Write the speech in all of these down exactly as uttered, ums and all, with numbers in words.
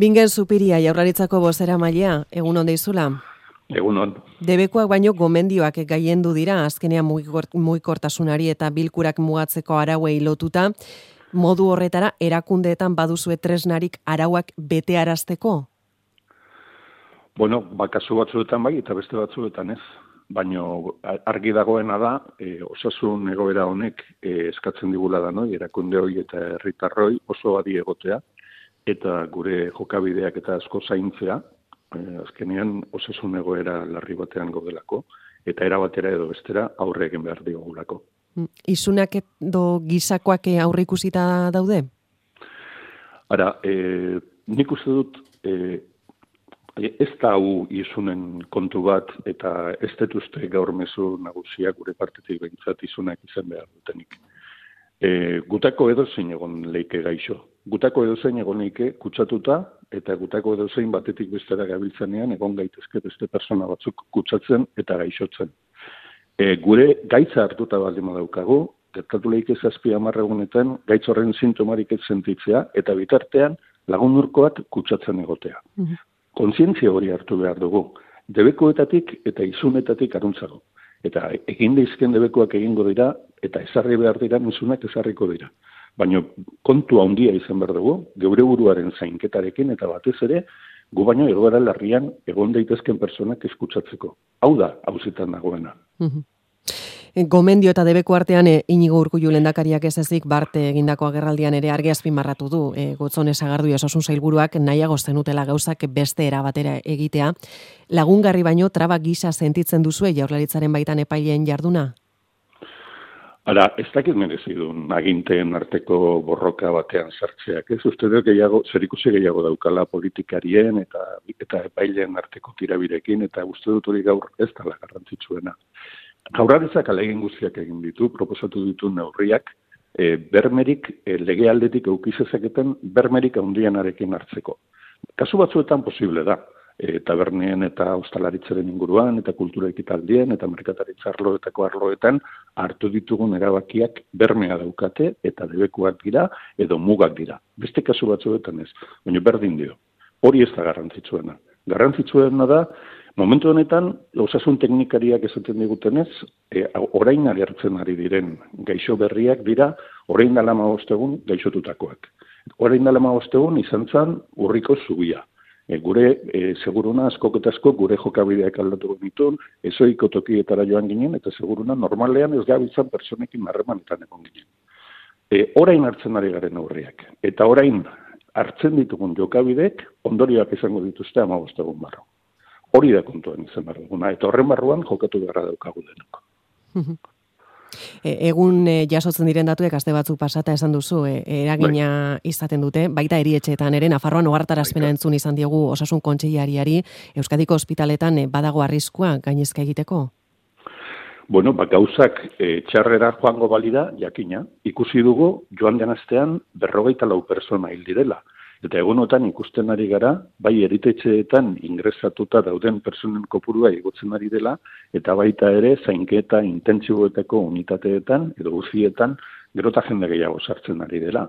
Bingen Zupiria, Jaurlaritzako bozeramailea, egun on deizula. Egun on. Debekuak baino gomendioak gailendu dira, azkenean mugikortasunari eta bilkurak mugatzeko arauei lotuta, modu horretara erakundeetan baduzue tresnarik arauak betearazteko? Bueno, bakazu batzuetan bai eta beste batzuetan ez. Baino argi dagoena da, e, osasun egoera honek e, eskatzen digula da, no? Erakunde hori eta herritarroi oso adi egotea, eta gure jokabideak eta asko zaintzea, e, azkenean osasun egoera larri batean gaudelako, eta erabatera edo bestera aurre egin behar diogulako. Isunak edo gizakoak aurre ikusita daude? Ara, e, nik uste dut, e, ez da hau isunen kontu bat, eta ez detuzte gaur mezu nagusia gure partetik behintzat isunak izan behar dutenik. E, gutako edozein egon leike gaixo. Gutako edozein egon leike kutsatuta, eta gutako edozein batetik bestera gabiltzanean egon gaitezke beste persona batzuk kutsatzen eta gaixotzen. E, gure gaitza hartuta baldin daukagu, gertatu leike zazpi hamar egunetan gaitz horren sintomarik ez sentitzea, eta bitartean lagunurkoak kutsatzen egotea. Mm-hmm. Kontzientzia hori hartu behar dugu, debekuetatik eta izunetatik aruntzago. Eta egin deizken debekoak egingo dira, eta ezarri behar dira, izunak ezarriko dira. Baina kontu handia izan behar dugu, geure buruaren zainketarekin, eta batez ere, gu baino egoera larrian egon daitezken personak eskutsatzeko. Hau da, hauzetan dagoena. Mm-hmm. Gomendio eta debeko artean e, Inigo Urkullu lehendakariak ez ezik Barte egindako agerraldian ere argi azpimarratu du. E, Gotzone Sagardui osasun sailburuak nahiago zenutela gauzak beste era batera egitea. Lagungarri baino traba gisa sentitzen duzue Jaurlaritzaren baitan epaileen jarduna? Ara, ez dakit merezi duen aginteen arteko borroka batean sartzeak. Ez uste dut gehiago, zerikusi gehiago daukala politikarien eta, eta epaileen arteko tirabirekin, eta uste dut hori gaur ez dela garrantzitsuena. Jaurlaritzak ahalegin guztiak egin ditu, proposatu ditu neurriak, e, bermerik, e, lege aldetik eukizezaketen bermerik handianarekin hartzeko. Kasu batzuetan posible da, e, tabernien eta ostalaritzaren inguruan, eta kultura ekitaldien, eta merkataritza arloetako arloetan hartu ditugun erabakiak bermea daukate, eta debekuak dira, edo mugak dira. Beste kasu batzuetan ez, baina berdin dio. Hori ez da garrantzitsuena. Garrantzitsuena da, momentu honetan, osasun teknikariak esaten digutenez, e, orain agertzen ari diren gaixo berriak dira, orain dela hamabost egun gaixotutakoak. Orain dela hamabost egun izan zen urriko zubia. E, gure, e, seguruna askok eta askok gure jokabideak aldatu genitun, ezoiko tokietara joan ginen, eta seguruna normalean ez gabiltzan personekin harremanetan egon ginen. E, orain hartzen ari garen aurriak. Eta orain hartzen ditugun jokabidek ondorioak izango dituzte hamabost egun barru. Hori da kontuan izan behar duguna, eta horren barruan jokatu beharra daukagu denok. Egun e, jasotzen diren datuek aste batzuk pasata esan duzu, e, eragina bai. Izaten dute, baita erietxeetan ere, Nafarroan ohartarazpena entzun izan diogu osasun kontseilariari, Euskadiko ospitaletan e, badago arriskua gainezka egiteko? Bueno, ba, gauzak e, txarrera joango balira, jakina, ikusi dugu joan den astean berrogeita lau persona hil direla. Eta egunotan ikusten ari gara, bai eritetxeetan ingresatuta dauden personen kopurua igotzen ari dela, eta baita ere zainketa intentsiboetako unitateetan, edo guztietan, gerota jende gehiago sartzen ari dela.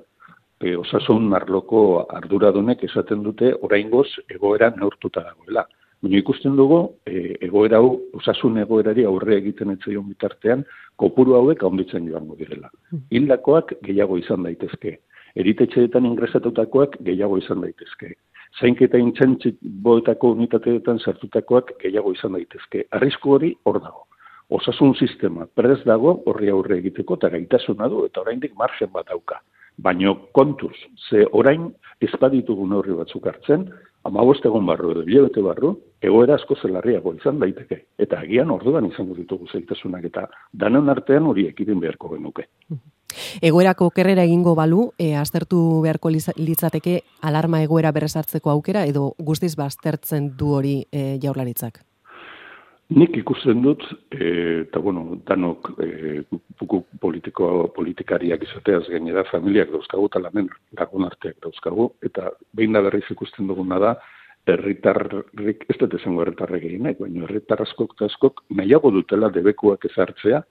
E, osasun arloko arduradunek esaten dute oraingoz egoera neurtuta dagoela. Baina ikusten dugu, e, egoera hau, osasun egoerari aurre egiten etzaion bitartean, kopuru hauek handitzen joango direla. Hildakoak gehiago izan daitezke. Eritetxeetan ingresatutakoak gehiago izan daitezke. Zainketa intentsiboetako unitateetan sartutakoak gehiago izan daitezke. Arrisku hori hor dago. Osasun sistema prest dago horri aurre egiteko eta gaitasuna du eta oraindik margen bat dauka. Baina kontuz, ze orain ez baditugun horri batzuk hartzen, hamabost egun barru edo hilabete barru, egoera asko zelarriago izan daiteke. Eta agian orduan izango ditugu zailtasunak eta danon artean hori ekidin beharko genuke. Egoerako okerrera egingo balu, e, aztertu beharko litzateke alarma egoera berrezartzeko aukera edo guztiz baztertzen du hori e, Jaurlaritzak? Nik ikusten dut, e, eta bueno, danok e, politiko, politikariak izateaz gainera familiak dauzkagu eta lamen lagun arteak dauzkagu, eta behin da berriz ikusten duguna da, herritarrik, ez dut esango herritarrek egin nahi, baina herritar askok eta askok nahiago dutela debekuak ezartzea,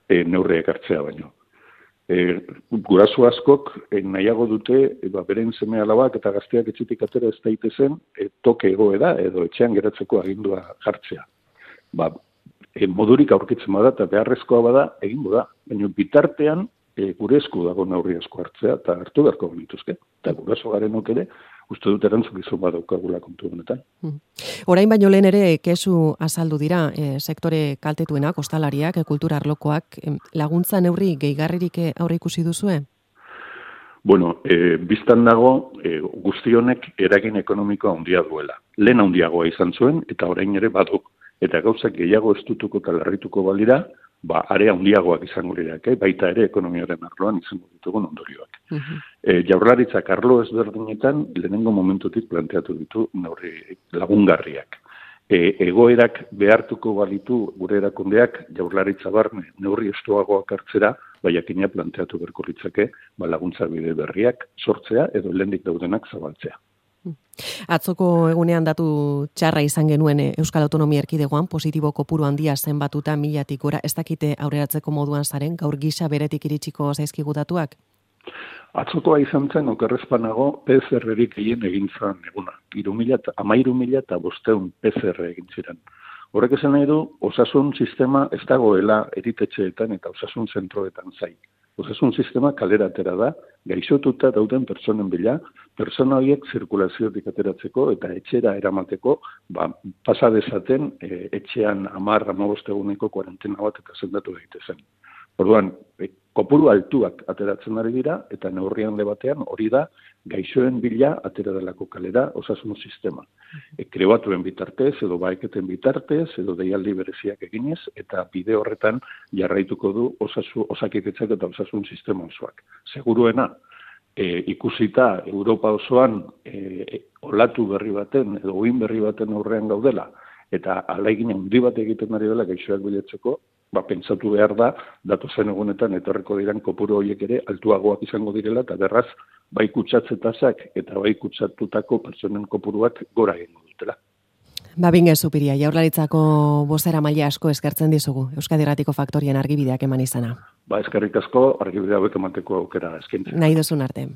e, neurriak hartzea baino. E, guraso askok e, nahiago dute e, ba, beren seme alabak eta gazteak etxetik atera ez daitezen e, toke egoera edo etxean geratzeko agindua jartzea. Ba, e, modurik aurkitzen bada eta beharrezkoa bada egingo da. Baina bitartean e, gure esku dago neurri asko hartzea eta hartu beharko genituzke. Eta guraso garenok ere uste dut erantzukizun badaukagula kontu honetan. Hmm. Orain baino lehen ere kesu azaldu dira e, sektore kaltetuenak, ostalariak, e, kultura arlokoak, e, laguntza neurri gehigarririk aurre ikusi duzue? Bueno, e, biztan dago e, guztionek eragin ekonomikoa handia duela. Lehen handiagoa izan zuen eta orain ere badu. Eta gauzak gehiago estutuko eta larrituko balira, ba, are handiagoak izango lirak, eh? Baita ere ekonomiaren arloan izango ditugun ondorioak. Uh-huh. E, jaurlaritzak arlo ezberdinetan lehenengo momentutik planteatu ditu neurri lagungarriak. E, egoerak behartuko balitu gure erakundeak jaurlaritza barne neurri estuagoak hartzera, baiakina planteatu berko litzake ba, laguntza bide berriak sortzea edo lehendik daudenak zabaltzea. Atzoko egunean datu txarra izan genuen Euskal Autonomia Erkidegoan, positibo kopuru handia zenbatuta milatik gora, ez dakite aurreratzeko moduan zaren, gaur gisa beretik iritsiko zaizkigu datuak? Atzokoa izan zen, okerrezpanago, P C R-erik egin egin zan eguna. Amairu mila eta bosteun P C R egin ziren. Horrek esan nahi du, osasun sistema ez dagoela eritetxeetan eta osasun zentroetan zai. Osasun sistema kalera atera da, gaixotuta dauden pertsonen bila, pertsona horiek zirkulaziotik ateratzeko eta etxera eramateko, ba, pasa dezaten e, etxean hamar hamabost eguneko kuarentena bat eta sendatu daitezen. Orduan, e, kopuru altuak ateratzen ari dira eta neurri handi batean hori da gaixoen bila atera delako kalera osasun sistema. E, krebatuen bitartez edo baeketen bitartez edo deialdi bereziak eginez eta bide horretan jarraituko du osasu, osakidetzak eta osasun sistema osoak. Seguruena, e, ikusita Europa osoan e, olatu berri baten edo uin berri baten aurrean gaudela eta alaigin handi bat egiten ari dela gaixoak bilatzeko, ba, pentsatu behar da, datu zen egunetan etorriko diren kopuru horiek ere altuagoak izango direla, eta berraz, bai kutsatzetazak eta bai kutsatutako pertsonen kopuruak gora egingo dutela. Babinge Zupiria, Jaurlaritzako bozera maila asko eskertzen dizugu, Euskadi Irratiko Faktorien argibideak eman izana. Ba, eskerrik asko, argibide hauek emateko aukera eskaintzen. Nahi duzun arte.